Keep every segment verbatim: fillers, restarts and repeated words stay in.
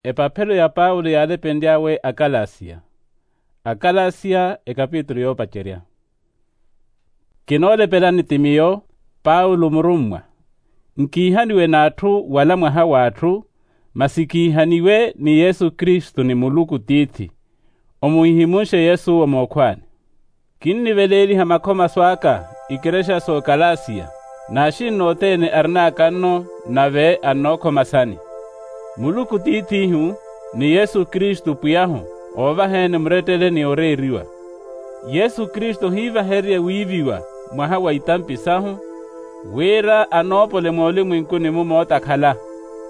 Epaphelo ya paulo yaalepenly'awe akalasiya. Akalasiya ekapitulu yoopacerya. Kinoolepelani ti miyo paulo murummwa. Nkiihaniwe n'atthu wala mwaha w'atthu, masi kiihaniwe ni yesu kristu ni muluku tiithi. Omuhihimunxe yesu owo mookhwaani. Kinniveleeliha makhomaso aka ikerexa s'okalasiya, n'axinna othene arinaaka nno, nave annookhomasani. Muluku tiith'ihu, ni yesu kristu pwiy'ahu, oovaheeni murettele ni oreeriwa. Yesu kristu ohiivahererye wiiviwa mwaha wa itampi sahu, wira anoopole moolimwenkuni-mu mootakhala,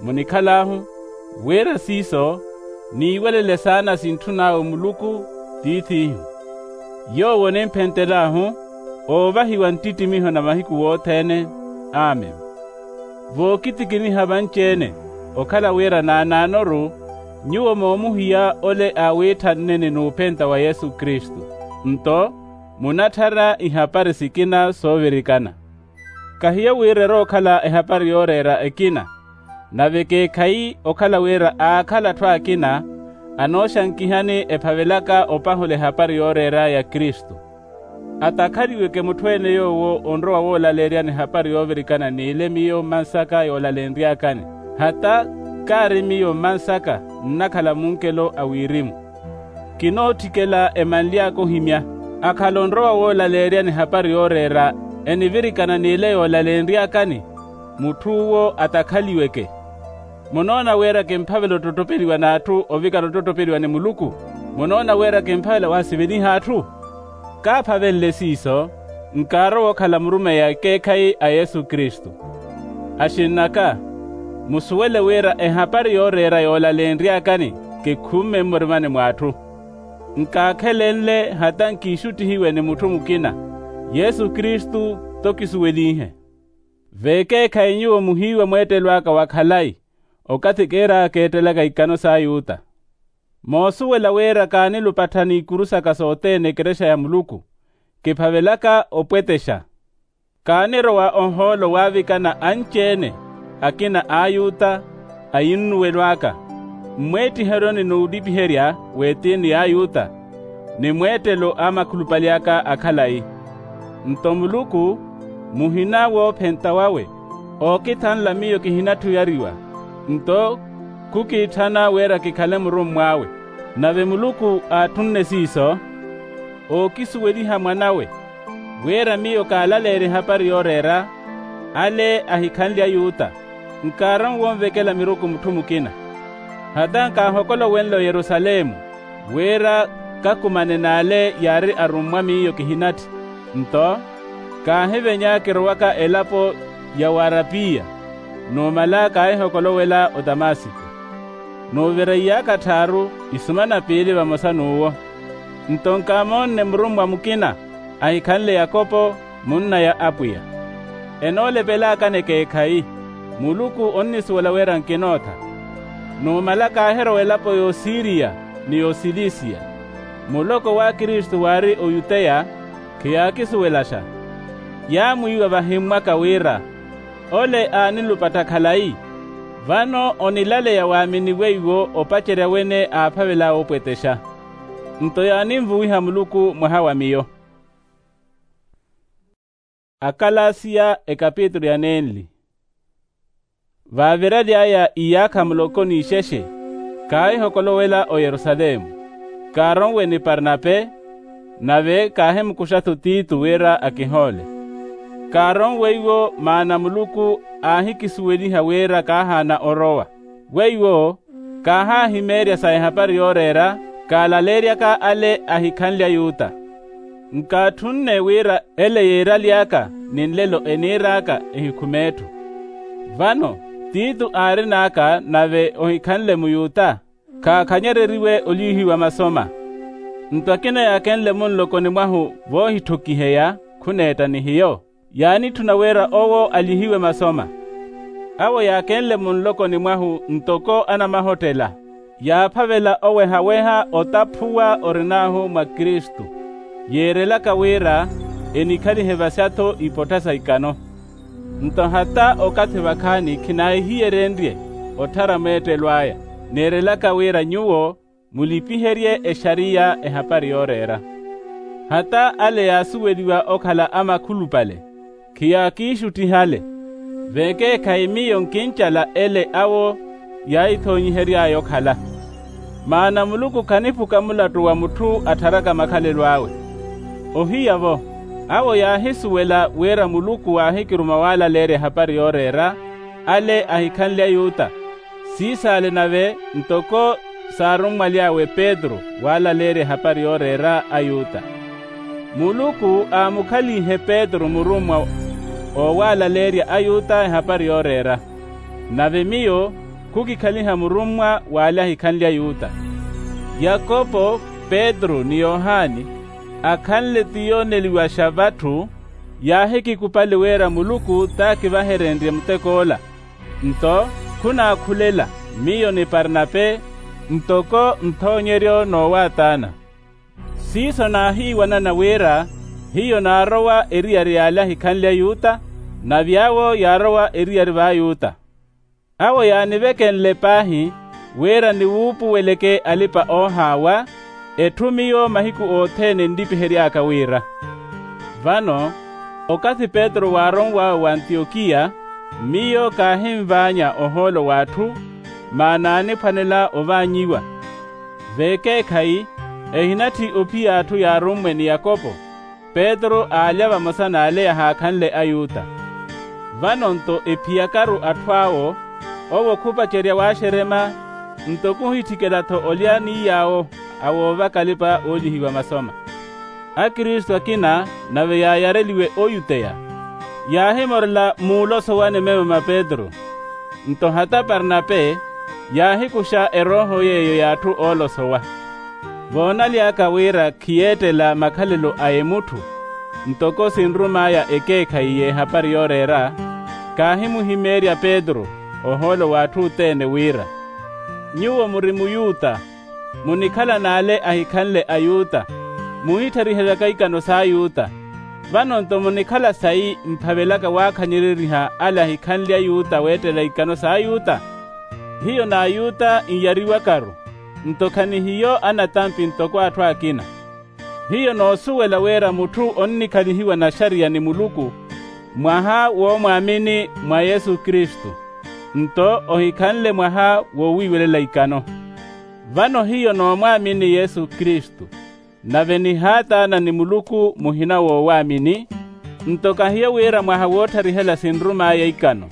munikhal'ahu, wira siiso niiwelele saana sintthun'awe muluku tiith'ihu. Yoowo onimphentel'ahu oovahiwa nttittimiho na mahiku wothene. Amen. Vookitikiniha vanci-ene, okhala wira naanaanoru nyuwo moomuhiya ole aawiitthanneni n'uphenta wa yesu kristu, nto munatthara ihapari sikina soovirikana. Kahiyo wira erookhala ehapari yooreera ekina, nave ekeekhayi okhala wira aakhala atthu akina anooxankihani ephavelaka opahula ehapari yooreera ya kristu. Atakhaliweke mutthu-ene yoowo onrowa woolaleeryani ehapari yoovirikana n'ile miyo mmansaka yoolalenry'akani, hata kaari miyo mmansaka nnakhala munkelo a wirimu. Kinootthikela emanly'aka ohimya, akhala onrowa woolaleeryani ehapari yooreera enivirikana n'ile yoolalenry'akani, mutth'uwo atakhaliweke. Munoona wira kimphavela ottottopeliwa n'atthu ovikana ottottopeliwa ni muluku? Munoona wira kimphavela waasiveliha atthu? Kaaphavenle siiso, nkaarowa okhala murumeyi a ekeekhayi a yesu kristu. Axinn'aka, musuwele wira ehapari yooreera yoolalenry'akani kikhumme mmurimani mw'atthu. Nkaakhelenle hata nkiixuttihiwe ni mutthu mukina, yesu kristu t'okisuwelinhe. V'ekeekhayi nyuwo muhiiwa mweettelo aka wa khalayi, okathi kiiraaka eettelaka ikano s'ayuta. Moosuwela wira kaanilupattha n'ikuru saka sothene ekerexa ya muluku, kiphavelaka opwetexa. Kaanirowa ohoolo waavikana anci-ene, akina a ayuta, ayinnuwelo aka, mmweettiheryoni n'ulipiherya w'etiini y'ayuta, ni mweettelo a makhulupale aka a khalayi. Nto muluku, muhina woophenta wawe, ookithanla miyo kihinatthu oyariwa, nto khukiitthana wira kikhale murummw'awe. Nave muluku aatthunne siiso, ookisuweliha mwan'awe, wira miyo kaalaleerye ehapari yooreera, ale ahikhanle ayuta, nkaarowa onvekela miruku mutthu mukina. Hata nkaahokolowenle oyerusalemu, wira kakumane n'ale yaari arummwa miyo kihinatthi, nto kaahivenya kirowaka elapo ya w'arapiya, numala kaahihokolowela otamasiko. Nuvireiy'aka tthaaru isumana piili vamosa n'uwo. Nto nkaamoonne murummwa mukina ahikhanle yakopo, munna ya apwiya. Enoolepelakani ekeekhayi, muluku onnisuwela wira nkinootha. Numala kaahirowa elapo y'osiriya, ni y'osilisiya. Muloko w'akristu waari oyuteya, khiyaakisuwelaxa. Yaamwiiwa vahimmwaka wira, ole aanilupattha khalayi, vano onilaleya waaminiwe iwo opacerya wene aaphavel'awe opwetexa. Nto yaaninvuwiha muluku mwaha wa miyo. Akalasiya ekapitulu ya nenli. Vaaviraly'aya iyaakha muloko n'ixexe, kaahihokolowela oyerusalemu. Kaaronwe ni parnape, nave kaahimukuxa-tho titu wira akihoole. Kaaronwe iwo maana muluku aahikisuweliha wira kaahaana orowa. Weiwo kaahaahimeerya sa ehapari yooreera, kaalaleeryaka ale ahikhanle ayuta. Nkaatthunne wira ele yeeraly'aka ni nlelo eniir'aka ehikhume etthu. Vano titu aarin'aka nave ohikhanle muyuta, khaakhanyereriwe olyihiwa masoma. Nto akina yaakenle munlokoni mwahu voohitthukiheya khuneetta ni hiyo, yaanitthuna wira owo alyihiwe masoma. Awo yaakenle munlokoni mwahu ntoko anamahottela, yaaphavela oweha-weha otaphuwa orin'ahu mwa kristu, yeerelaka wira enikhalihe vasya-tho ipottha sa ikano. Nto hata okathi vakhaani khinaahiyerenrye otthara meettelo aya. Neerelaka wira nyuwo mulipiherye exariya ehapari yooreera. Hata ale yaasuweliwa okhala amakhulupale, khiyaakiixuttihale. Veekeekhayi miyo nkincala ele awo yaahithoonyihery'aya okhala. Maana muluku khaniphuka mulattu wa mutthu attharaka makhalelo awe. Ohiya-vo, awo yaahisuwela wira muluku waahikiruma waalaleerya ehapari yooreera, ale ahikhanle ayuta. Siisaale nave ntoko saarummwaly'awe petru waalaleerya ehapari yooreera ayuta. Muluku aamukhalinhe petru murummwa oowaalaleerya ayuta ehapari yooreera. Nave miyo khukikhaliha murummwa w'ale ahikhanle ayuta. Yakopo, petru ni yohani, akhanle tiyooneliwaxa vatthu, yaahikikupali wira muluku t'akivaherenrye mutek'ola. Nto khunaakhulela miyo ni parnape ntoko nthoonyeryo n'owataana. Siiso naahiiwanana wira hiyo naarowa eriyari y'ale ahikhanle ayuta, nave awo yaarowa eriyari v'ayuta. Awo yaanivekenle paahi wira niwuupuweleke alipa-oohaawa, etthu miyo mahiku othene nlipihery'aka wira. Vano okathi petru waaronw'awe w'antiyokiya, miyo kaahinvaanya ohoolo w'atthu, maana aaniphwanela ovaanyiwa. Veekeekhayi ehinatthi ophiy'atthu yaarummwe ni yakopo, petru aalya vamosa n'ale yahaakhanle ayuta. Vano-nto ephiyakaru atthu awo, owo khupacerya waaxerema, nto khuhitthikela-tho olya ni yaawo awoovaka alipa oolyihiwa masoma. Akristu akina nave yaayareliwe oyuteya, yaahimorela muulosowa ni memo ma petru. Nto hata parnape yaahikuxa erooho yeeyo y'atthu oolosowa. Voonaly'aka wira khiyeettela makhalelo a emutthu, ntoko sinrum'aya ekeekhayi y'ehapari yooreera, kaahimuhimeerya petru ohoolo w'atthu othene wira, nyuwo muri muyuta, munikhala n'ale ahikhanle ayuta, muhitthariheryaka ikano s'ayuta. Vano-nto munikhala sayi mphavelaka waakhanyereriha ale ahikhanle ayuta weettela ikano s'ayuta? Hiyo n'ayuta nyariwakaru, nto khanihiyo anatampi ntoko atthu akina. Hiyo noosuwela wira mutthu onnikhalihiwa naxariya ni muluku mwaha woomwaamini mwa yesu kristu, nto ohikhanle mwaha woowiiwelela ikano. Vano hiyo noomwaamini yesu kristu, nave nihaataana ni muluku muhina woowaamini, nto kahiyo wira mwaha wootharihela sinrum'aya ikano.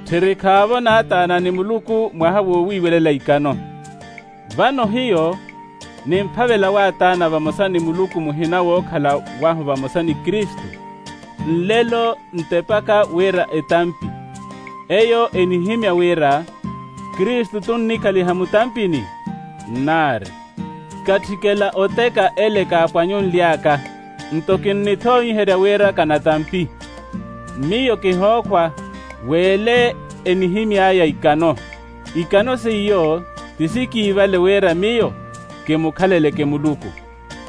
Tthirikhaavo naataana ni muluku mwaha woowiiwelela ikano. Vano hiyo nimphavela waataana vamosa ni muluku muhina wookhala wahu vamosa ni kristu, nlelo ntepaka wira etampi. Eyo enihimya wira kristu tunnikhaliha mutampini? Nnaari. Katthikela oteka ele kaapwanyunly'aka, nto kinnithoonyiherya wira kanatampi. Miyo kihookhwa w'ele enihimy'aya ikano. Ikano seiyo ti sikiivale wira miyo kimukhaleleke muluku,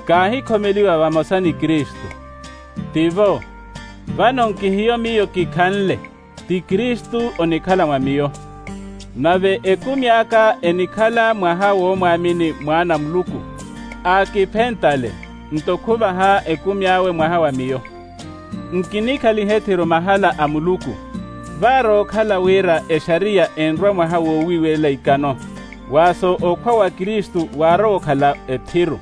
kaahikhomeliwa vamosa ni kristu. Tivo. Vano nkihiyo miyo kikhanle, ti kristu onikhala mwa miyo. Nave ekumi aka enikhala mwaha woomwaamini mwaana a muluku, aakiphentale, nto khuvaha ekumi awe mwaha wa miyo. Nkinikhaliha ethiru mahala a muluku, vaarookhala wira exariya enrwa mwaha woowiiwelela ikano, waaso okhwa wa kristu waarowa okhala ethiru.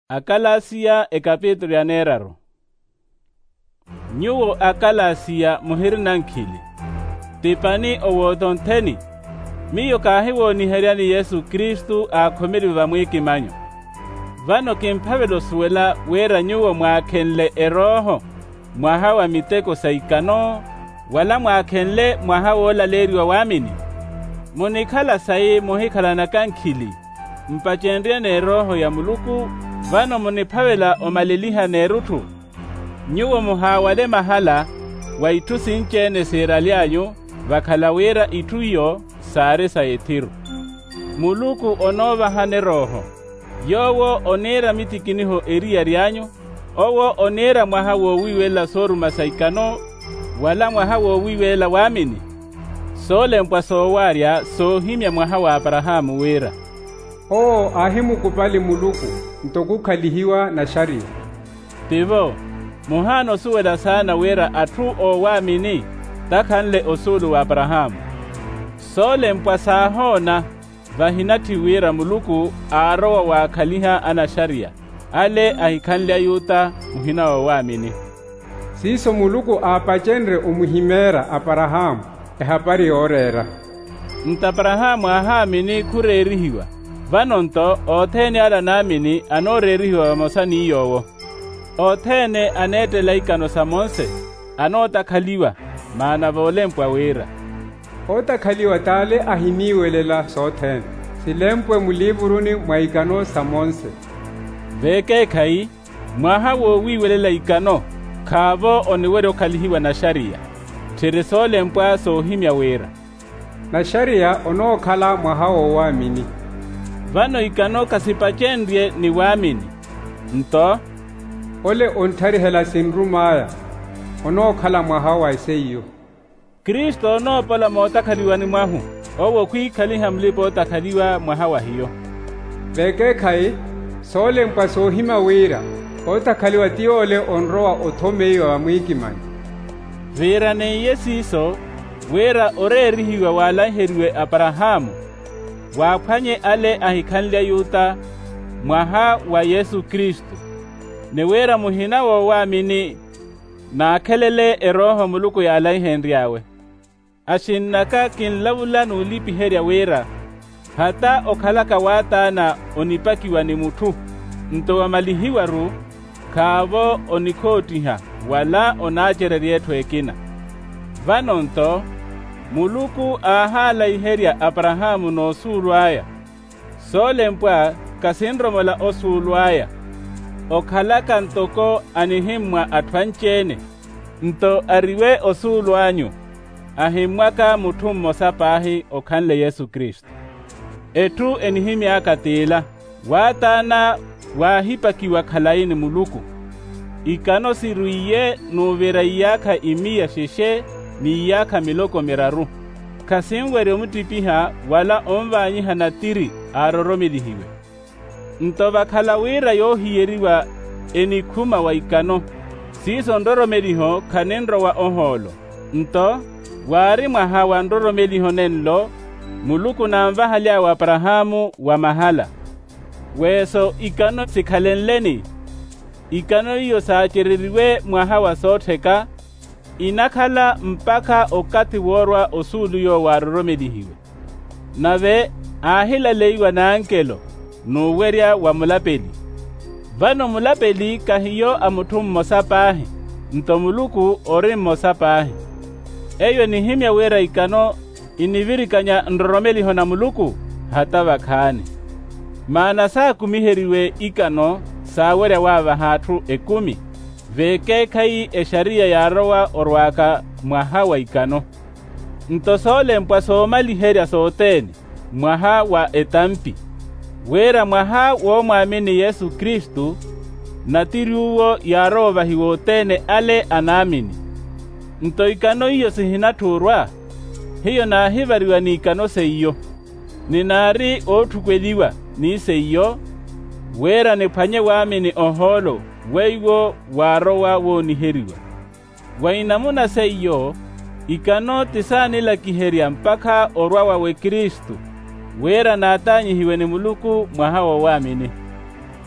Akalasiya ekapitulu ya neeraru. Nyuwo akalasiya muhirina nkhili, ti pani owootho ntheni. Miyo kaahiwooniheryani yesu kristu aakhomeliwe vamwiikimanyo. Vano kimphavela osuwela wira nyuwo mwaakhenle erooho mwaha wa miteko sa ikano, wala mwaakhenle mwaha woolaleeriwa waamini? Munikhala sayi muhikhalanaka nkhili, mpacenrye n'erooho ya muluku, vano muniphavela omaleliha n'erutthu? Nyuwo muhaawale mahala wa itthu sinci-ene siiraly'anyu, vakhala wira itthu iyo saari sa ethiru. Muluku onoovahani erooho, yoowo oniira mitikiniho eriyari anyu. Owo oniira mwaha woowiiwelela sooruma sa ikano, wala mwaha woowiiwelela waamini? Soolempwa soowaarya soohimya mwaha wa aparahaamu wira owo aahimukupali muluku nto khukhalihiwa naxariya. Tivo, muhaana osuwela saana wira atthu oowaamini takhanle osuulu wa aparahaamu. Soolempwa saahoona vahinatthi wira muluku aarowa waakhaliha anaxariya ale ahikhanle ayuta muhina woowaamini. Siiso muluku aapacenrye omuhimeera aparahaamu ehapari yooreera. Nto aparahaamu aahaamini khureerihiwa. Vano nto othene ale anaamini anooreerihiwa vamosa ni yoowo. Othene aneettela ikano sa monse anootakhaliwa. Maana voolempwa wira, ootakhaliwa t'ale ahiniiwelela sothene silempwe muliivuruni mwa ikano sa monse. Veekeekhayi, mwaha woowiiwelela ikano khaavo oniwerya okhalihiwa naxariya. Tthiri soolempwa soohimya wira naxariya onookhala mwaha woowaamini. Vano ikano khasipacenrye ni waamini. Nto ole ontharihela sinrum'aya onookhala mwaha wa seiyo. Kristu onoopola mootakhaliwani mwahu, owo khwiikhaliha mulipa-ootakhaliwa mwaha wa hiyo. Veekeekhayi, soolempwa soohimya wira ootakhaliwa ti yoole onrowa othomeiwa vamwiikimani. Viiraneiye siiso wira oreerihiwa waalanheriwe aparahaamu waaphwanye ale ahikhanle ayuta mwaha wa yesu kristu, ni wira muhina woowaamini naakhelele erooho muluku yaalaihenry'awe. Axinn'aka kinlavula n'ulipiherya wira hata okhalaka waataana onipakiwa ni mutthu, nto wamalihiwa-ru khaavo onikhoottiha wala onaacererya etthu ekina. Vano nto muluku aahaalaiherya aparahaamu n'osuulu aya. Soolempwa khasinromola osuulu aya okhalaka ntoko anihimmwa atthu anci-ene. Nto ariwe osuulu anyu ahimmwaka mutthu mmosa paahi okhanle yesu kristu. Etthu enihimy'aka t'ila, waataana waahipakiwa khalayi ni muluku. Ikano sirwiiye n'uvira iyaakha imiya xexe n'iyaakha miloko miraru. Khasinwerya omuttipiha wala onvaanyiha natiri aaroromelihiwe. Nto vakhala wira yoohiyeriwa enikhuma wa ikano, siiso nroromeliho khaninrowa ohoolo. Nto waari mwaha wa nroromeliho nenlo muluku naanvahaly'awe aparahaamu wa mahala. Weeso ikano sikhalenleni, ikano iyo saacereriwe mwaha wa soottheka inakhala mpakha okathi woorwa osuulu yoowo aaroromelihiwe. Nave aahilaleiwa n'ankelo n'uwerya wa mulapeli. Vano mulapeli khahiyo a mutthu mmosa paahi, nto muluku ori mmosa paahi. Eyo enihimya wira ikano inivirikanya nroromeliho na muluku hata vakhaani. Maana saakumiheriwe ikano saawerya waavaha atthu ekumi. Veekeekhayi exariya yaarowa orwaaka mwaha wa ikano. Nto soolempwa soomaliherya sothene mwaha wa etampi, wira mwaha woomwaamini yesu kristu, natiri uwo yaarowa ovahiwa othene ale anaamini. Nto ikano iyo sihinatthuurwa, hiyo naahivariwa n'ikano seiyo, ni naari ootthukweliwa ni seiyo, wira niphwanye waamini ohoolo weiwo waarowa wooniheriwa. Wa inamuna seiyo, ikano ti saanilakiherya mpakha orwa wawe kristu, wira naataanyihiwe ni muluku mwaha woowaamini.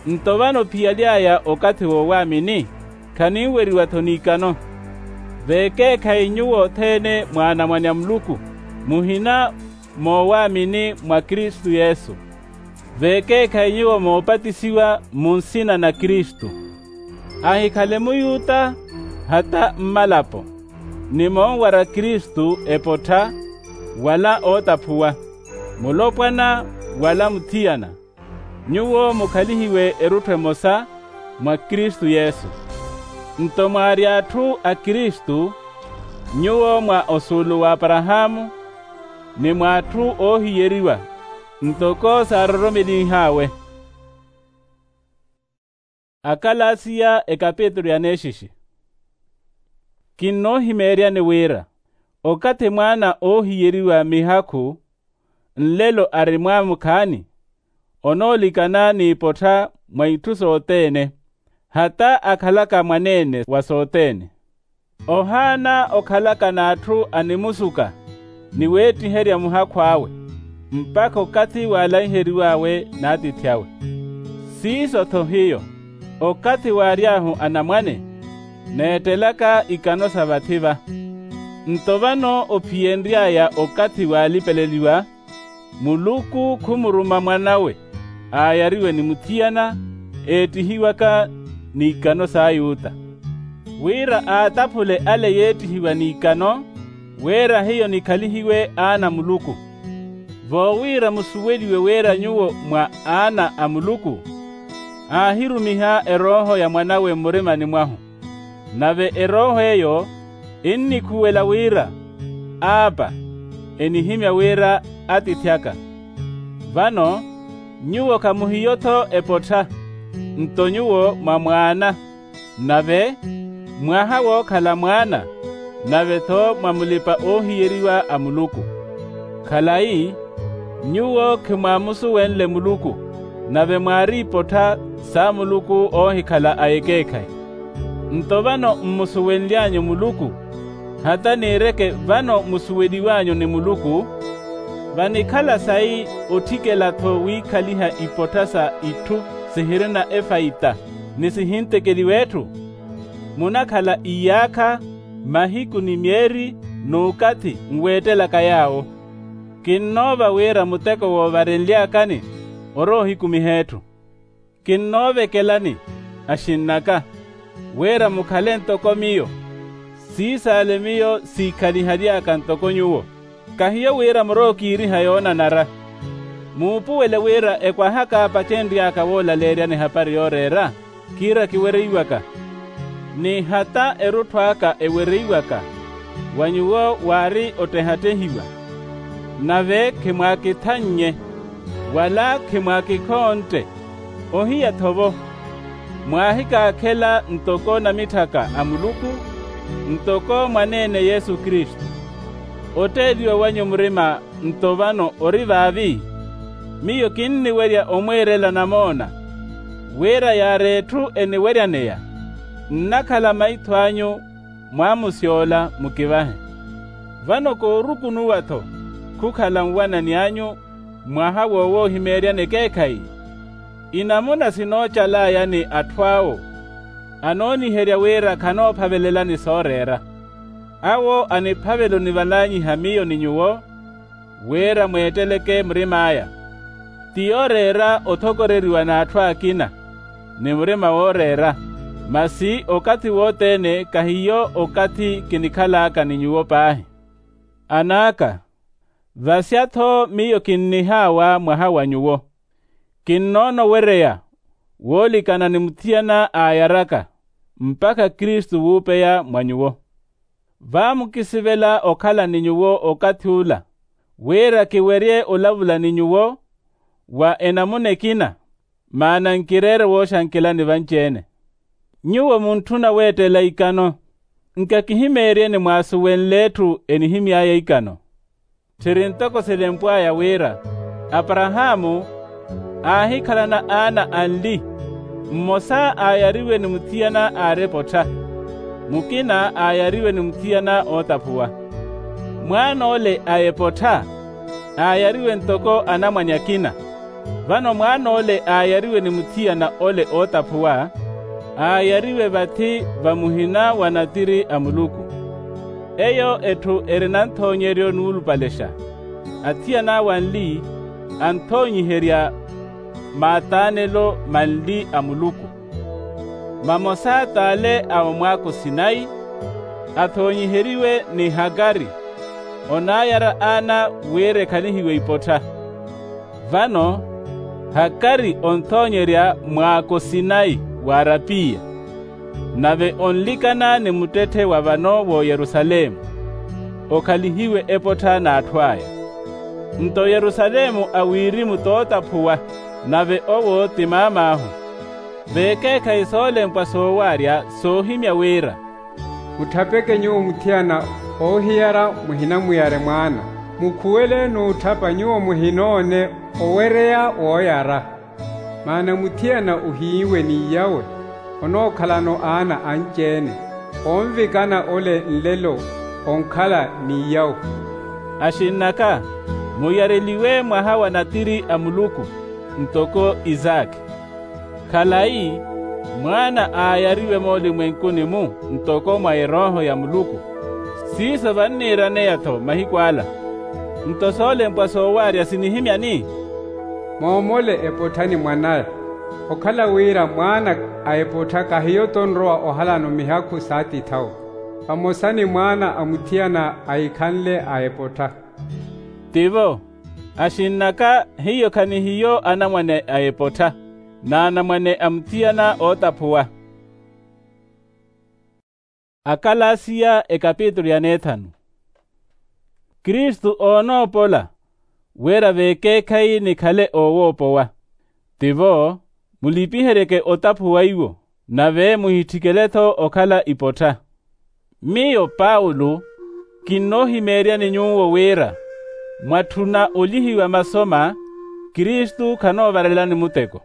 Nto vano phiyali aya okathi woowaamini khaninweriwa-tho n'ikano. Veekeekhayi nyuwo othene mwaanamwane a muluku, muhina moowaamini mwa kristu yesu. Veekeekhayi nyuwo moopatisiwa mu nsina na kristu, ahikhale muyuta hata mmalapo, ni monwara kristu epottha wala ootaphuwa, mulopwana wala muthiyana. Nyuwo mukhalihiwe erutthu emosa mwa kristu yesu. Nto mwaari atthu a kristu, nyuwo mwa osuulu w'aparahaamu, ni mwa atthu oohiyeriwa ntoko saaroromelih'awe. Akalasiya ekapitulu ya neexixi. Kinnoohimeeryani wira Okathi mwaana oohiyeriwa mihakhu nlelo ari mwaamukhaani, onoolikana n'ipottha mwa itthu sothene, hata akhalaka mwaneene wa sothene. Ohaana okhalaka n'atthu animusuka ni weettiherya muhakhu awe, mpakha okathi waalaiheriw'awe n'atiithi awe. Siiso-tho hiyo, okathi waary'ahu anamwane, neettelaka ikano sa vathi-va. Nto vano ophiyenry'aya okathi waalipeleliwa, muluku khumuruma mwan'awe aayariwe ni muthiyana, eettihiwaka n'ikano s'ayuta, wira aataphule ale yeettihiwa n'ikano, wira hiyo nikhalihiwe aana a muluku. Voowira musuweliwe wira nyuwo mwa aana a muluku, aahirumiha erooho ya mwan'awe mmurimani mwahu. Nave erooho eyo ennikhuwela wira, aapa, enihimya wira, atiithi aka. Vano nyuwo khamuhiyo-tho epottha, nto nyuwo mwa mwaana, nave mwaha wookhala mwaana, nave-tho mwa mulipa-oohiyeriwa a muluku. Khalayi, nyuwo khimwaamusuwenle muluku, nave mwaari ipottha sa muluku oohikhala a ekeekhayi. Nto vano mmusuwenly'anyu muluku, hata niireke vano musuweliw'anyu ni muluku. Vanikhala sayi otthikela-tho wiikhaliha ipottha sa itthu sihirina efaita ni sihintekeliwa etthu? Munakhala iyaakha, mahiku ni myeeri, n'ukathi nweettelaka yaawo. Kinnoova wira muteko woovarenly'akani oroohikumiha etthu. Kinnoovekelani, axinn'aka, wira mukhale ntoko miyo, siisaale miyo siikhalihaly'aka ntoko nyuwo. Kahiyo wira murookiiriha yoonanara. Muupuwele wira ekwahaka apacenry'aka woolaleeryani ehapari yooreera, kiira kiwereiwaka, ni hata erutthu aka ewereiwaka, wa nyuwo waari ottehattehiwa. Nave khimwaakithannye, wala khimwaakikhontte. Ohiya-tho-vo, mwaahikaakhela ntoko namitthaka a muluku, ntoko mwaneene yesu kristu. Otteeliwa wanyu murima nto vano ori vaavi? Miyo kinniwerya omwiirela namoona, wira yaari etthu eniweryaneya, nnakhala maitho anyu mwaamusyoola mukivahe. Vano koorukunuwa-tho khukhala nwanani anyu mwaha wowoohimeeryani ekeekhayi. Inamuna sinoocal'aya ni atthu awo anooniherya wira khanoophavelelani sooreera. Awo aniphavela onivalanyiha miyo ni nyuwo, wira mweetteleke murim'aya. Ti yooreera othokoreriwa n'atthu akina, ni murima wooreera, masi okathi wothene kahiyo okathi kinikhal'aka ni nyuwo paahi. An'aka, vasya-tho miyo kinnihaawa mwaha wa nyuwo. Kinnoona owereya woolikana ni muthiyana aayaraka, mpakha kristu wuupeya mwa nyuwo. Vaamukisivela okhala ni nyuwo okathi ula, wira kiwerye olavula ni nyuwo wa enamuna ekina, maana nkireere wooxankelani vanci-ene. Nyuwo muntthuna weettela ikano, nkakihimeeryeni mwaasuwenle etthu enihimy'aya ikano. Tthiri ntoko silempw'aya wira, aparahaamu aahikhalana aana anli, mmosa aayariwe ni muthiyana aari epotha, mukina aayariwe ni muthiyana ootaphuwa. Mwaan'ole a epotha aayariwe ntoko anamwane akina. Vano mwaan'ole aayariwe ni muthiyana ole ootaphuwa, aayariwe vathi va muhina wa natiri a muluku. Eyo etthu erina nthoonyeryo nuulupalexa. Athiyan'awe anli anthoonyiherya maataanelo manli a muluku. Mamosa t'ale a omwaako sinayi, athoonyiheriwe ni hakari, onaayara aana wira ekhalihiwe ipottha. Vano hakari onthoonyerya mwaako sinayi w'arapiya, nave onlikana ni muttetthe wa vano w'oyerusalemu, okhalihiwe epottha n'atthu aya. Nto yerusalemu a wirimu t'otaphuwa, nave owo ti maam'ahu. V'ekeekhayi soolempwa soowarya soohimya wira, mutthapeke nyuwo muthiyana Oohiyara muhinamuyare mwaana. Mukhuwele n'utthapa nyuwo muhinoone owereya wooyara. Maana muthiyana ohiiwe n'iyawe onookhalano aana anci-ene. Onvikana ole nlelo onkhala n'iyawe. Axinn'aka, muyareliwe mwaha wa natiri a muluku, ntoko isaakhi. Khalayi, mwaana aayariwe moolimwenkuni-mu ntoko mwa erooho ya muluku. Siiso vanniiraneya-tho mahiku ala. Nto soolempwa soowaarya sinihimyani? Moomole epottha ni mwanaya. Okhala wira mwaana a epottha kahiyo-tho onrowa ohalano mihakhu s'atithawe. Vamosa ni mwaana a muthiyana ahikhanle a epottha. Tivo. Axinn'aka, hiyo khanihiyo anamwane a epottha, n'anamwane a muthiyana ootaphuwa. Akalasiya ekapitulu ya neethanu. Kristu oonoopola wira veekeekhayi nikhale oowoopowa. Tivo, mulipiheryeke otaphuwa iwo, nave muhitthikele-tho okhala ipottha. Miyo paulo, kinnoohimeeryani nyuwo wira mwatthuna olihiwa masoma, kristu khanoovarelani muteko.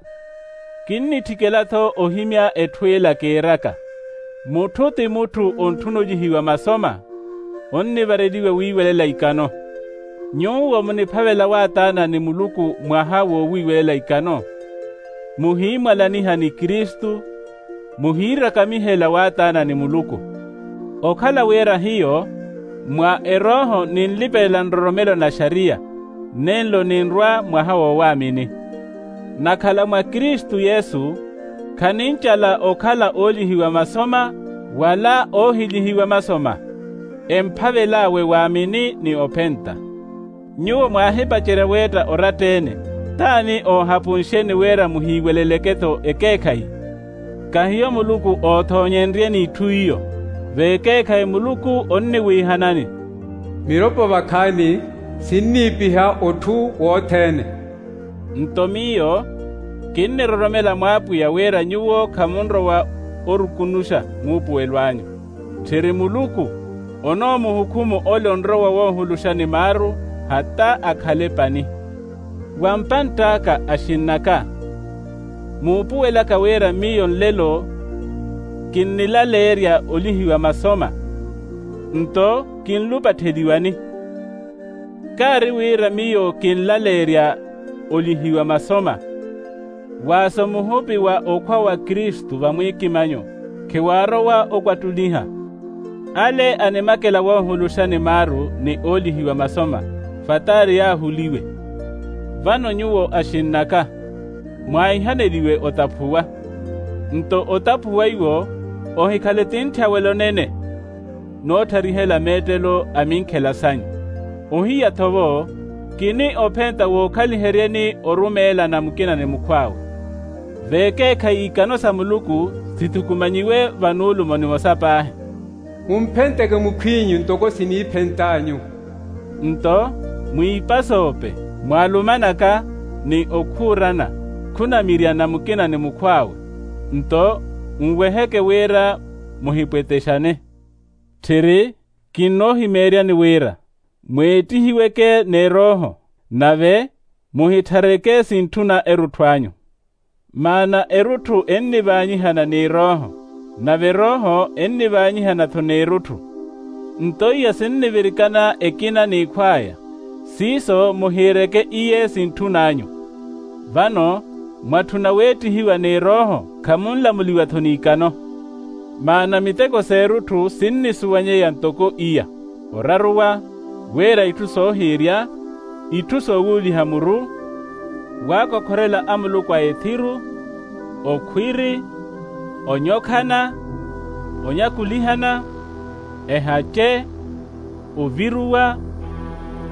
Kinnitthikela-tho ohimya etthu ela kiiraka, mutthu ti mutthu ontthuna olihiwa masoma, onnivareliwe wiiwelela ikano. Nyuwo muniphavela waataana ni muluku mwaha woowiiwelela ikano, muhiimwalaniha ni kristu, muhiirakamihela waataana ni muluku. Okhala wira hiyo mwa erooho ninlipelela nroromelo na xariya, nenlo ninrwa mwaha woowaamini. Nakhala mwa kristu yesu, khanincala okhala oolihiwa masoma wala oohilihiwa masoma, emphavel'awe waamini ni ophenta. Nyuwo mwaahipacerya weetta oratta-ene, t'ani oohapunxeni wira muhiiweleleke-tho ekeekhayi? Kahiyo muluku oothoonyenryeni itthu iyo. Vekeekhayi muluku onniwiihanani, miropo vakhaani sinniipiha otthu wothene. Nto miyo kinniroromela mw'apwiya wira nyuwo khamunrowa orukunuxa muupuwelo anyu. Tthiri muluku onoomuhukhumu ole onrowa woohuluxani maaru hata akhale pani. Wa mpant'aka axinn'aka, muupuwelaka wira miyo nlelo kinnilaleerya olihiwa masoma, nto kinlupattheliwani. Kaari wira miyo kinlaleerya olihiwa masoma, waaso muhupi wa okhwa wa kristu vamwiikimanyo khiwaarowa okwattuliha. Ale animakela woohuluxani maaru ni oolihiwa masoma, fataari yaahuliwe. Vano nyuwo axinn'aka, mwaihaneliwe otaphuwa. Nto otaphuwa iwo ohikhale tintthya wela onene nootharihela meettelo a minkhela sanyu. Ohiya-tho-vo, kini ophenta wookhaliheryeni orumeelana mukina ni mukhw'awe. Vekeekhayi ikano sa muluku sithukumanyiwe vanuulumo nimosa paahi. Mumphenteke mukhw'inyu ntoko siniiphent'anyu. Nto mwiipas'ope, mwaalumanaka, ni okhuurana, khunamiryana mukina ni mukhw'awe. Nto nweheke wira muhipwetexane. Tthiri kinnoohimeeryani wira mweettihiweke n'erooho, nave muhitthareke sintthuna erutthu anyu. Maana erutthu ennivaanyihana n'erooho, nave erooho ennivaanyihana-tho n'erutthu. Nto iya sinnivirikana ekina n'ikhw'aya, siiso muhiireke iye sintthun'anyu. Vano mwatthuna weettihiwa n'erooho, khamunlamuliwa-tho n'ikano. Maana miteko s'erutthu sinnisuwanyeya ntoko iya: oraruwa, wira itthu soohiirya, itthu soowuuliha muru, waakokhorela amuluku a ethiru, okhwiri, onyokhana, onyakulihana, ehace, oviruwa,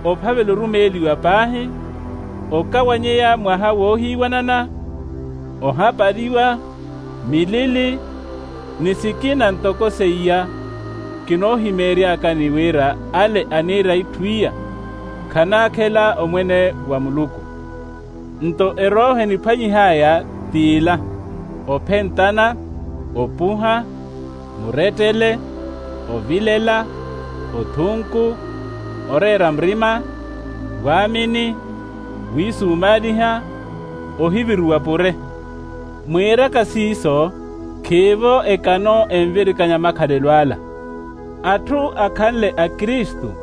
ophavela orumeeliwa paahi, okawanyeya mwaha woohiiwanana, ohapaliwa, milili, ni sikina ntoko seiya. Kinoohimeeryakani wira ale aniira itthu iya khanaakhela omwene wa muluku. Nto erooho eniphwanyih'aya t'ila: ophentana, opuha, murettele, ovilela, othunku, oreera murima, waamini, wiisumaaliha, ohiviruwa pure. Mwiiraka siiso, khiivo ekano envirikanya makhalelo ala. Atthu akhanle akristu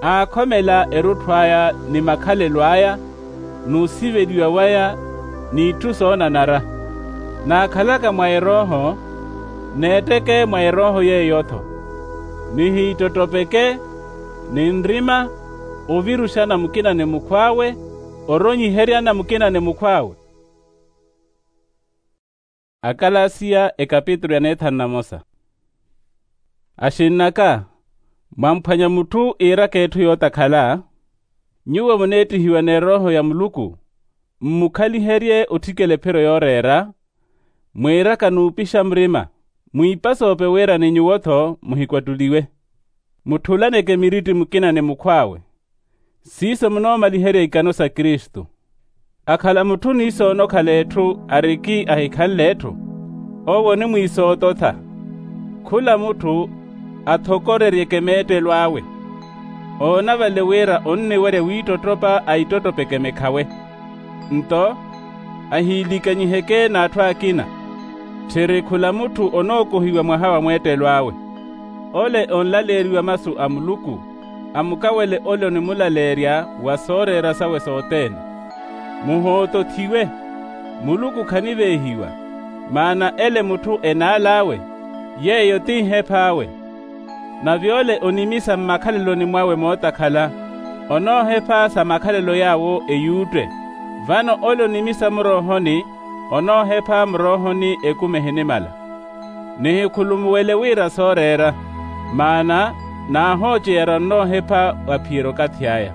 aakhomela erutthu aya ni makhalelo aya, n'usiveliwa waya, n'itthu soonanara. Naakhalaka mwa erooho, n'etteke mwa erooho yeeyo-tho, nihiittottopeke, ni nrima, oviruxana mukina ni mukhw'awe, oronyiheryana mukina ni mukhw'awe. Akalasiya ekapitulu ya neethanu na mosa. Axinn'aka, mwamphwanya mutthu iiraka etthu yootakhala, nyuwo muneettihiwa n'erooho ya muluku, mmukhaliherye otthikela ephiro yooreera, mwiiraka n'upixa murima, mwiipasoope wira ni nyuwo-tho muhikwattuliwe. Mutthulaneke miritti mukina ni mukhw'awe. Siiso munoomaliherya ikano sa kristu. Akhala mutthu ni soonokhala etthu ariki ahikhanle etthu, owo onimwiisoototha. Khula mutthu athokoreryeke meettelo awe, oona vale wira onniwerya wiittottopa aittottopeke mekhawe. Nto ahiilikanyiheke n'atthu akina. Tthiri khula mutthu onookohiwa mwaha wa mweettelo awe. Ole onlaleeriwa masu a muluku, amukawele ole onimulaleerya wa sooreera sawe sothene. Muhootothiwe, muluku khaniveehiwa, maana ele mutthu enaal'awe, yeeyo ti nheph'awe. Nave ole onimisa mmakhaleloni mwawe mootakhala, onoohepha sa makhalelo yaawo eyuutte. Vano ole onimisa muroohoni, onoohepha muroohoni ekumi ehinimala. Nihikhulumuwele wira sooreera, maana naahooceyara onnoohepha waphiyerya okathi aya.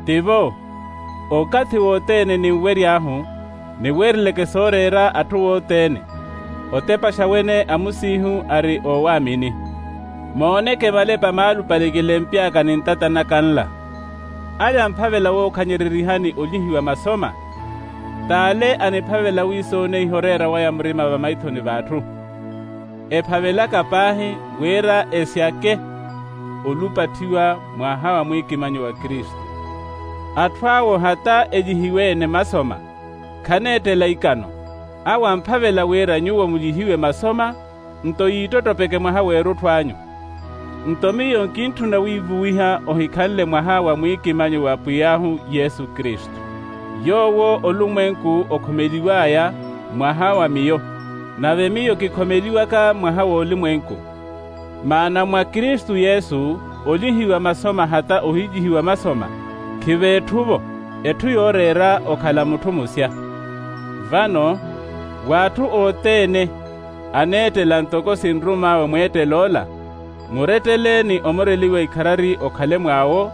Tivo, okathi wothene ninwery'ahu, niweerileke sooreera atthu wothene, otepaxa wene amusiihu ari oowaamini. Mooneke malepa maalupale kilempy'aka ni ntata naka nla. Ale amphavela wookhanyererihani olihiwa masoma, t'ale aniphavela wiisooneiha oreera waya murima vamaithoni v'atthu. Ephavelaka paahi wira esyake olupatthiwa mwaha wa mwiikimanyo wa kristu. Atthu awo hata elihiwe-ene masoma, khaneettela ikano. Awo amphavela wira nyuwo mulihiwe masoma, nto yiittottopeke mwaha w'erutthu anyu. Nto miyo nkintthuna wiivuwiha ohikhanle mwaha wa mwiikimanyo w'apwiy'ahu yesu kristu, yoowo olumwenku okhomeliw'aya mwaha wa miyo, nave miyo kikhomeliwaka mwaha w'olumwenku. Maana mwa kristu yesu olihiwa masoma hata ohilihiwa masoma, khiveetthu-vo, etthu yooreera okhala mutthu musya. Vano w'atthu othene aneettela ntoko sinrum'awe mweettel'ola, murettele ni omureliwa ikharari okhale mw'awo,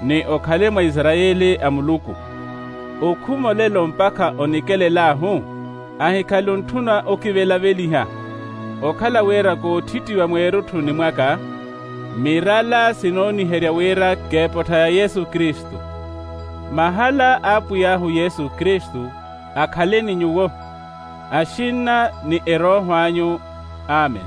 ni okhale mwa isarayeli a muluku. Okhuma olelo mpakha onikelel'ahu, ahikhale ontthuna okivelaveliha, okhala wira kootthittiwa mweerutthuni mwaka, mirala sinooniherya wira k'epottha ya yesu kristu. Mahala a apwiy'ahu yesu kristu akhale ni nyuwo, axinna ni erooho anyu. Amen.